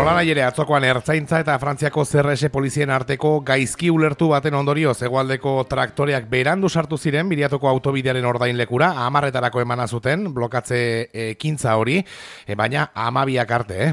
Nolanahi ere atzokoan Ertzaintza eta Frantziako CRS polizien arteko gaizki ulertu baten ondorioz hegoaldeko traktoreak berandu sartu ziren Biriatoko autobidearen ordainlekura, 10etarako emana zuten blokatze ekintza hori, baina 12 arte,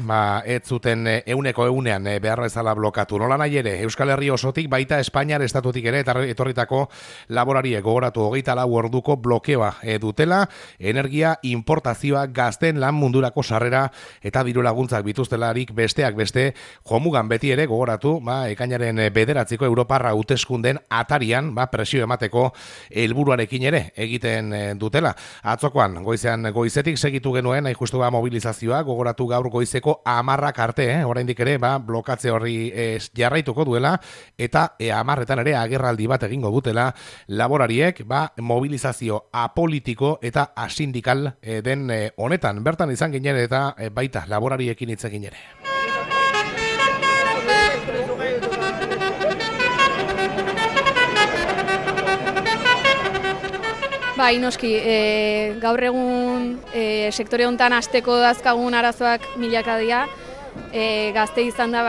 ez zuten 100%ean behar bezala blokatu. Nolanahi ere Euskal Herri osotik baita Espainiar estatutik ere etorritako laborariek gogoratu 24 orduko blokeoa dutela, energia importazioa, gazten lan mundurako sarrera eta diru laguntzak bituztelarik besteak beste, jomugan beti ere gogoratu, ekainaren 9 Europarra hauteskunden atarian, presio emateko helburuarekin ere egiten dutela. Atzokoan, goizetik segitu genuen, hain justu mobilizazioa, gogoratu gaur goizeko 10 arte, oraindik ere, blokatze horri jarraituko duela, eta 10etan ere agerraldi bat egingo dutela, laborariek, mobilizazio apolitiko eta asindikal den honetan. Bertan izan ginen eta baita laborariekin hitz egin ere. Bai, noski, gaur egun sektore honetan hasteko dazkagun arazoak milaka dira. Gazte izan da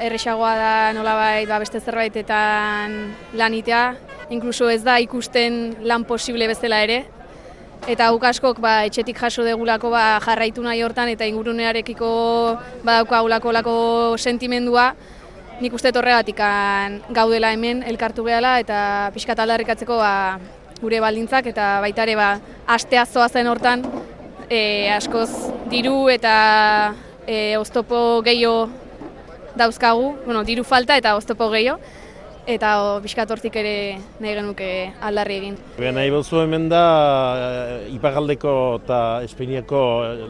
erresagoa da nolabait beste zerbaitetan lanitea, inkluso ez da ikusten lan posible bezala ere. Eta guk askok etxetik jaso degulako jarraitu nahi hortan eta ingurunearekiko badaukagulako sentimendua. Nik uste horregatik gaudela hemen elkartu gehala eta pixkat aldarrikatzeko gure baldintzak eta baita ere astea zoazen hortan askoz diru eta oztopo gehiago dauzkagu, diru falta eta oztopo gehiago. Eta pixkat hortik ere nahi genuke aldarri egin. Nahi behuzu hemen da Iparraldeko eta Espainiako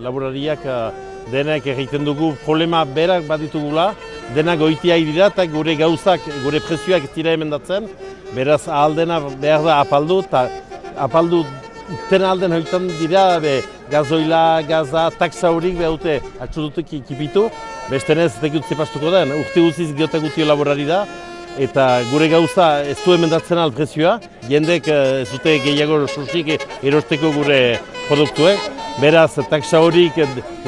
laborariak denak egiten dugu problema berak baditugula, denak goitia dira eta gure gauzak, gure prezioak ez dira emendatzen, beraz ahaldena behar da apaldu, eta apaldu ten alden hoitan dira gazoila, gaza, taksa horik behar dute atxudutek ikipitu, bestenez ez dekut zepastuko den, urte guziz giotak gutio laborari da, eta gure gauza ez du emendatzen prezioa, jendek ez dute gehiago sursik erosteko gure produktuek, beraz taksa horik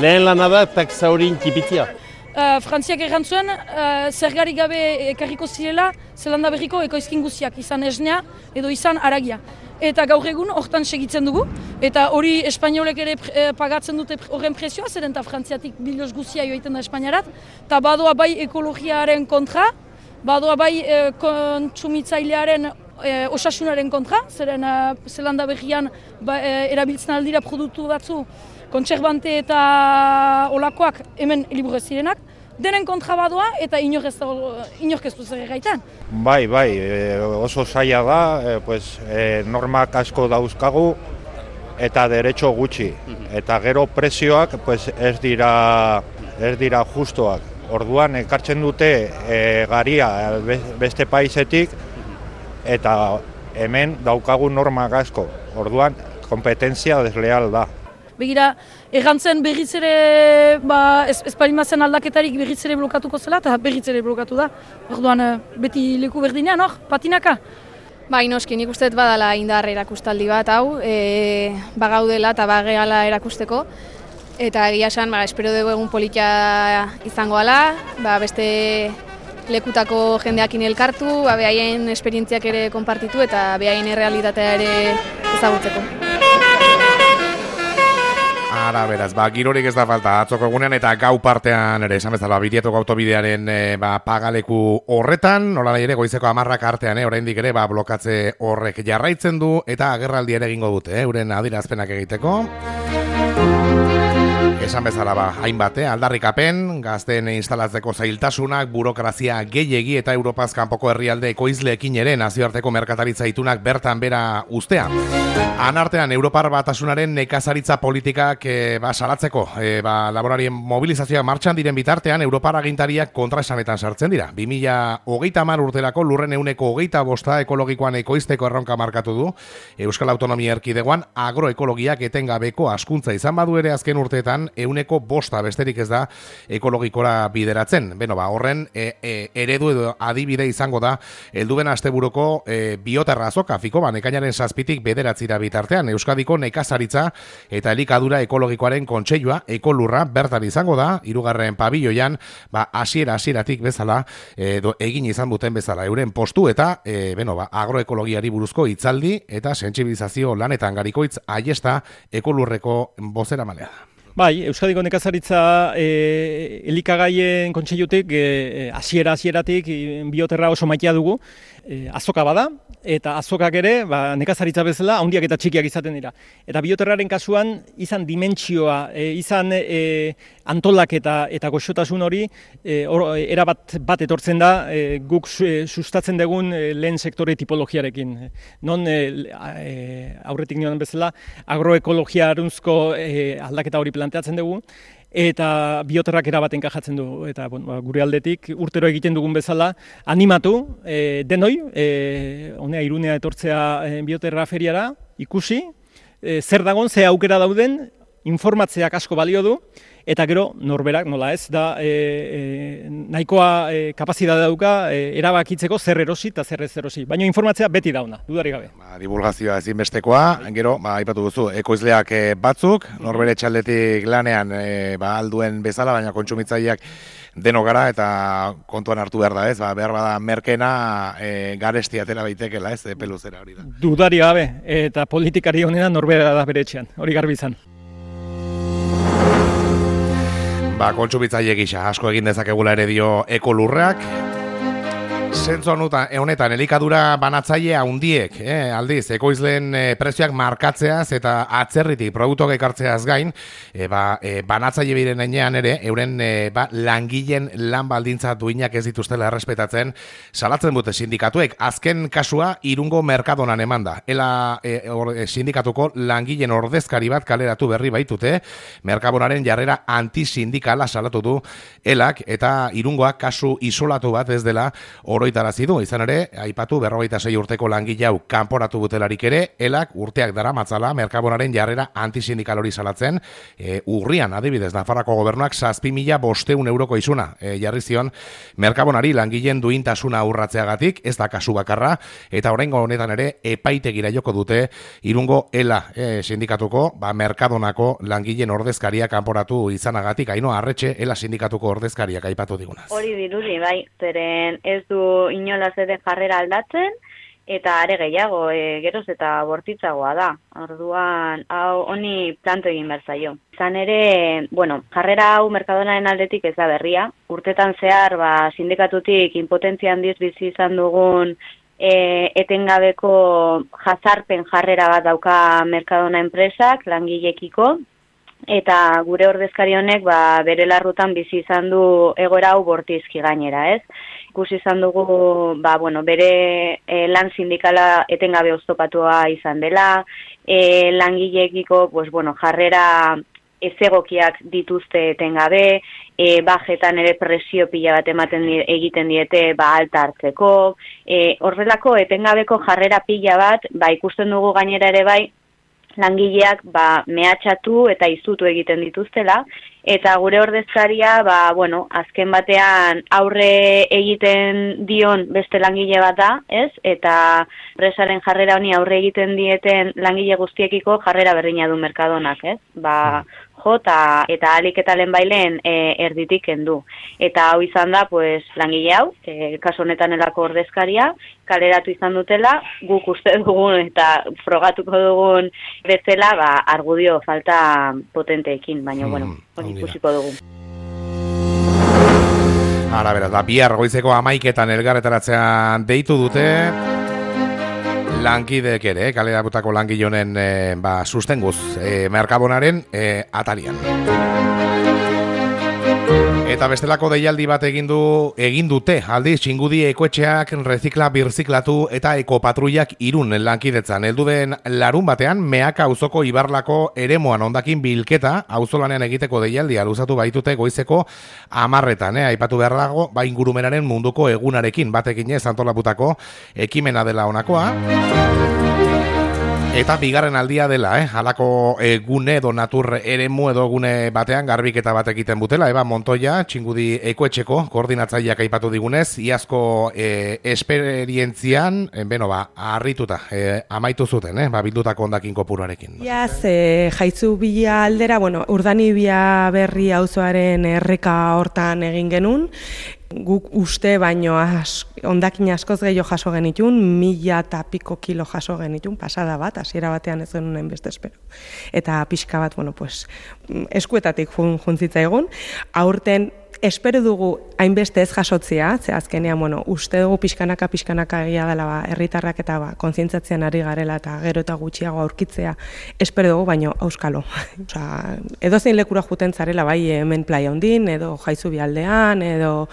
lehen lana da, taksa horik kipitzia. Frantziak errantzuen, zergarik gabe ekarriko zirela, Zelanda Berriko ekoizkin guztiak, izan esnea edo izan haragia. Eta gaur egun hortan segitzen dugu, eta hori espainolek ere pagatzen dute horren prezioa, zeren eta Frantziatik biloz guztia joiten da Espainiarat, eta badoa bai ekologiaren kontra, badoa bai kontsumitzailearen osasunaren kontra, zeren Zelanda Berrian erabiltzen aldira produktu batzu, kontserbante eta olakoak hemen liburu ez zirenak, denen kontra badoa eta inork ez du zer egaitan. Bai, oso zaila da, normak asko dauzkagu eta derecho gutxi, eta gero prezioak ez dira justoak. Orduan ekartzen dute garia beste paisetik eta hemen daukagu normak asko. Orduan kompetentzia desleal da. Begira, errantzen berriz ere, ez parimazen aldaketarik berriz ere blokatuko zela eta berriz ere blokatu da. Orduan beti leku berdinean, patinaka. Bai, noski, nik uste badala indar erakustaldi bat hau, bagaudela eta bageala erakusteko. Eta egia esan, espero dugu egun politia izango ala, beste lekutako jendeakin elkartu, behaien esperientziak ere konpartitu eta behaien errealitatea ere ezagutzeko. Ara, beraz, girorik ez da falta, atzoko egunean eta gau partean ere, esan bezala, Biriatoko autobidearen pagaleku horretan, nolanahi ere goizeko 10 artean, oraindik ere blokatze horrek jarraitzen du eta agerraldi ere egingo dute, euren adierazpenak egiteko. Esan bezala hainbat, aldarrikapen, gazteen instalatzeko zailtasunak, burokrazia gehiegi eta Europaz kanpoko herrialde ekoizleekin ere nazioarteko merkataritza itunak bertan bera ustea. Anartean, Europar Batasunaren nekazaritza politikak salatzeko, laborarien mobilizazioak martxan diren bitartean, Europar agintariak kontraesanetan sartzen dira. 2030 urterako lurren 25% ekologikoan ekoizteko erronka markatu du. Euskal Autonomia Erkidegoan agroekologiak etengabeko askuntza izan badu ere azken urteetan 5% besterik ez da ekologikora bideratzen. Beno, horren eredu edo adibide izango da helduben asteburuko bioterra azoka Fikoban ekainaren 7tik 9 bitartean Euskadiko nekazaritza eta elikadura ekologikoaren kontseilua Ekolurra bertan izango da 3. pabiloian, hasieratik bezala egin izan duten bezala euren postu eta agroekologiari buruzko hitzaldi eta sentsibilizazio lanetan Garikoitz Aiesta Ekolurreko bozeramalea da. Bai, Euskadiko nekazaritza elikagaien kontseilutik hasieratik bioterra oso maitea dugu, azoka bada, eta azokak ere nekazaritza bezala handiak eta txikiak izaten dira. Eta bioterraren kasuan izan dimentsioa, izan antolaketa eta goxotasun hori erabat etortzen da guk sustatzen dugun lehen sektore tipologiarekin. Non aurretik nioan bezala agroekologiarunzko aldaketa hori planteatzen dugu, eta bioterrak erabat enkajatzen du. Eta gure aldetik urtero egiten dugun bezala animatu denoi, honea Irunea etortzea bioterra feriara, ikusi, zer dagon, ze aukera dauden, informatzeak asko balio du, eta gero norberak nola ez da nahikoa kapazitatea dauka erabakitzeko zer erosi eta zer ez erosi. Baina informatzea beti dauna, dudarik gabe. Divulgazioa ezinbestekoa, gero, aipatu duzu, ekoizleak batzuk, norbere txaldetik lanean alduen bezala, baina kontsumitzaileak deno gara eta kontuan hartu behar da ez, behar bada merkena garesti atera baitekela ez, peluzera hori da. Dudarik gabe, eta politikari honena norbera da bere etxean, hori garbi izan. Kontsumitzaile gisa asko egin dezakegula ere dio Ekolurrak. Zentzu honetan elikadura banatzaile handiek, aldiz, ekoizleen prezioak markatzeaz eta atzerritik produktuak ekartzeaz gain, banatzaile biren enean ere, euren langileen lan baldintza duinak ez dituztela errespetatzen, salatzen dute sindikatuek. Azken kasua Irungo Merkadonan eman da. Ela sindikatuko langileen ordezkari bat kaleratu berri baitute, Merkadonaren jarrera antisindikala salatu du elak, eta Irungoak kasu isolatu bat ez dela oroitarazi du. Izan ere, aipatu 46 urteko langile hau kanporatu butelarik ere, elak urteak daramatzala Merkadonaren jarrera antisindikal hori salatzen. Urrian, adibidez, Nafarroako gobernuak 7.500 euroko isuna jarri zion Merkadonari langileen duintasuna urratzeagatik, ez da kasu bakarra, eta oraingo honetan ere epaitegira joko dute Irungo ELA sindikatuko, Merkadonako langileen ordezkaria kanporatu izanagatik. Ainhoa Arretxe, ELA sindikatuko ordezkariak aipatu digunaz. Hori dirudi, bai, zeren ez du inolaz ere jarrera aldatzen, eta are gehiago, geroz eta bortitzagoa da. Orduan, hau honi planto egin behar zaio. Izan ere, jarrera hau Merkadonaren aldetik ez da berria. Urtetan zehar, sindikatutik impotentzia handiz bizi izan dugun etengabeko jazarpen jarrera bat dauka Merkadona enpresak, langilekiko, eta gure ordezkari honek bere larrutan bizi izan du egoera hau bortizki gainera, ez? Ikusi izan dugu, bere lan sindikala etengabe oztopatua izan dela, langileekiko, jarrera ezegokiak dituzte etengabe, bajetan ere presio pila bat egiten diete alta hartzeko, horrelako etengabeko jarrera pila bat, ikusten dugu gainera ere bai, langileak mehatxatu eta izutu egiten dituztela, eta gure ordezkaria, azken batean aurre egiten dion beste langile bat da, ez? Eta presaren jarrera honi aurre egiten dieten langile guztiekiko jarrera berdina du Merkadonak, ez? Eta alik eta lehenbailen erditik kendu. Eta hau izan da, langile hau, kasu honetan elako ordezkaria, kaleratu izan dutela, guk uste dugun eta frogatuko dugun bezala, argudio falta potenteekin, baina, hori ikusiko dugu. Ara, beraz, bihar goizeko 11:00 elgarretaratzean deitu dute, lankideek ere, kaleratutako langile honen sustenguz Merkadonaren atarian. Eta bestelako deialdi bat egin dute, aldiz, Txingudi ekoetxeak rezikla birziklatu eta ekopatruiak Irun lankidetzan. Heldu den larun batean, Meaka auzoko Ibarlako eremuan hondakin bilketa, auzolanean egiteko deialdia luzatu baitute goizeko 10:00. Aipatu behar dago, ingurumenaren munduko egunarekin batekin antolaputako ekimena dela honakoa. Eta bigarren aldia dela, halako gune edo natur eremu edo gune batean garbiketa bat egiten butela. Eba Montoya, Txingudi Ekoetxeko koordinatzaileak aipatu digunez, iazko esperientzian, harrituta, amaitu zuten, bildutako hondakin kopuruarekin. Iaz, Jaitzu bila aldera, Urdanibia berri auzoaren erreka hortan egin genuen, guk uste baino hondakin askoz gehiago jaso genitun, 1000 eta piko kilo jaso genitun, pasada bat, hasiera batean ez genuen beste espero. Eta pixka bat, eskuetatik juntzitza egun, aurten espero dugu hainbeste ez jasotzea, ze azkenean, uste dugu pixkanaka egia dela herritarrak eta kontzientzatzean ari garela eta gero eta gutxiago aurkitzea, espero dugu, baino auskalo. Edozein lekura juten zarela, bai hemen playa hondin, edo Jaitzu bialdean, edo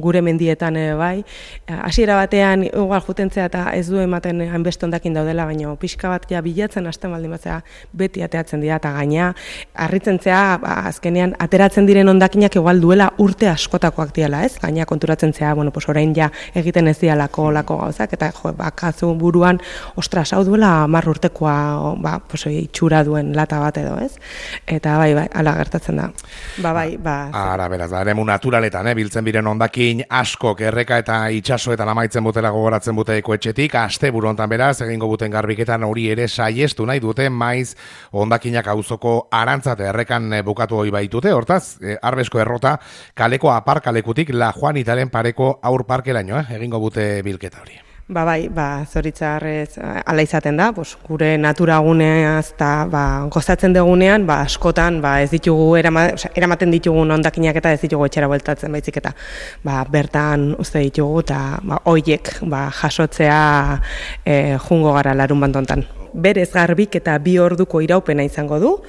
gure mendietan bai. Hasiera batean igual jutentzea eta ez du ematen hainbeste hondakin daudela, baino pixka bat ja bilatzen hasten baldin batzea beti ateatzen dira eta gaina harritzen zea azkenean ateratzen diren hondakinak igual duela urte askotakoak diala, ez? Gaina konturatzen zea, orain ja egiten ez dialako gauzak eta bakazu buruan, ostras, hau duela 10 urtekoa, itxura duen lata bat edo, ez? Eta bai, hala gertatzen da. Ara, beraz, eremu naturaletan, biltzen biren hondakin askok erreka eta itsasoetan amaitzen butela gogoratzen bute Ekoetxetik, asteburu hontan beraz, egingo buten garbiketan hori ere saiestu nahi dute, maiz hondakinak auzoko Arantzate errekan bukatu hori baitute, hortaz, Arbesko errota kaleko aparkalekutik La Juanitaren pareko aur parkeraino, egingo bute bilketa hori. Zoritzarrez ala izaten da, gure naturaguneaz eta gozatzen degunean, askotan ez ditugu eramaten ditugun hondakinak eta ez ditugu etxera bueltatzen baizik eta bertan uste ditugu eta hoiek jasotzea jungo gara larun bantontan. Berez garbik eta 2 orduko iraupena izango du.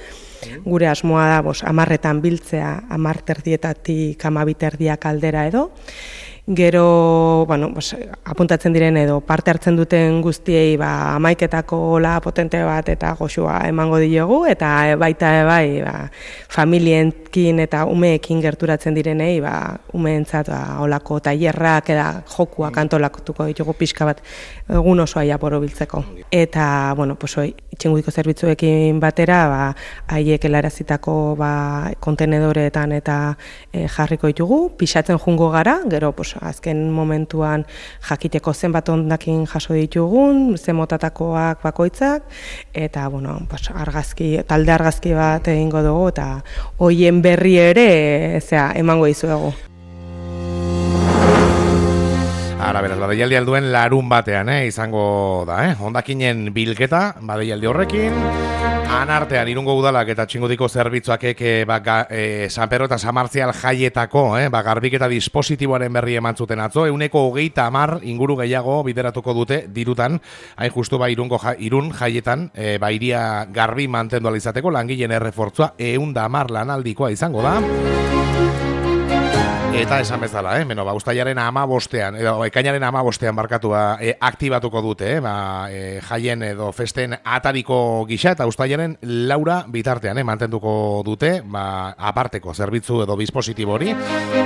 Gure asmoa da 10etan biltzea, 10:30 12:30 aldera edo. Gero, apuntatzen diren edo parte hartzen duten guztiei 11etako ola potente bat eta goxua emango diogu eta baita familienkin eta umeekin gerturatzen direnei umeentzat olako tailerrak eta jokuak antolatuko ditugu pixka bat egun osoa borobiltzeko. Eta, Txingudiko zerbitzuekin batera, haiek helarazitako kontenedoreetan eta jarriko ditugu, pixatzen jungo gara, gero azken momentuan jakiteko zenbat hondakin jaso ditugun, zen motatakoak bakoitzak, eta talde argazki bat egingo dugu, eta hoien berri ere emango dizuegu. Ara, beraz, deialdi alduen larun batean, izango da, hondakinen bilketa, deialdi horrekin, anartean Irungo Udalak eta Txingudiko zerbitzuak San Pedro eta San Martzial jaietako, garbiketa dispositiboaren berri eman zuten atzo, 130 inguru gehiago bideratuko dute dirutan, hain justu Irun jaietan, iria garbi mantendu alizateko, langileen errefortzua 110 lanaldikoa izango da. Eta esan bezala, uztailaren 15ean, edo ekainaren 15ean aktibatuko dute, jaien edo festen atariko gisa, eta uztailaren 4 bitartean, mantenduko dute, aparteko zerbitzu edo dispositibo hori.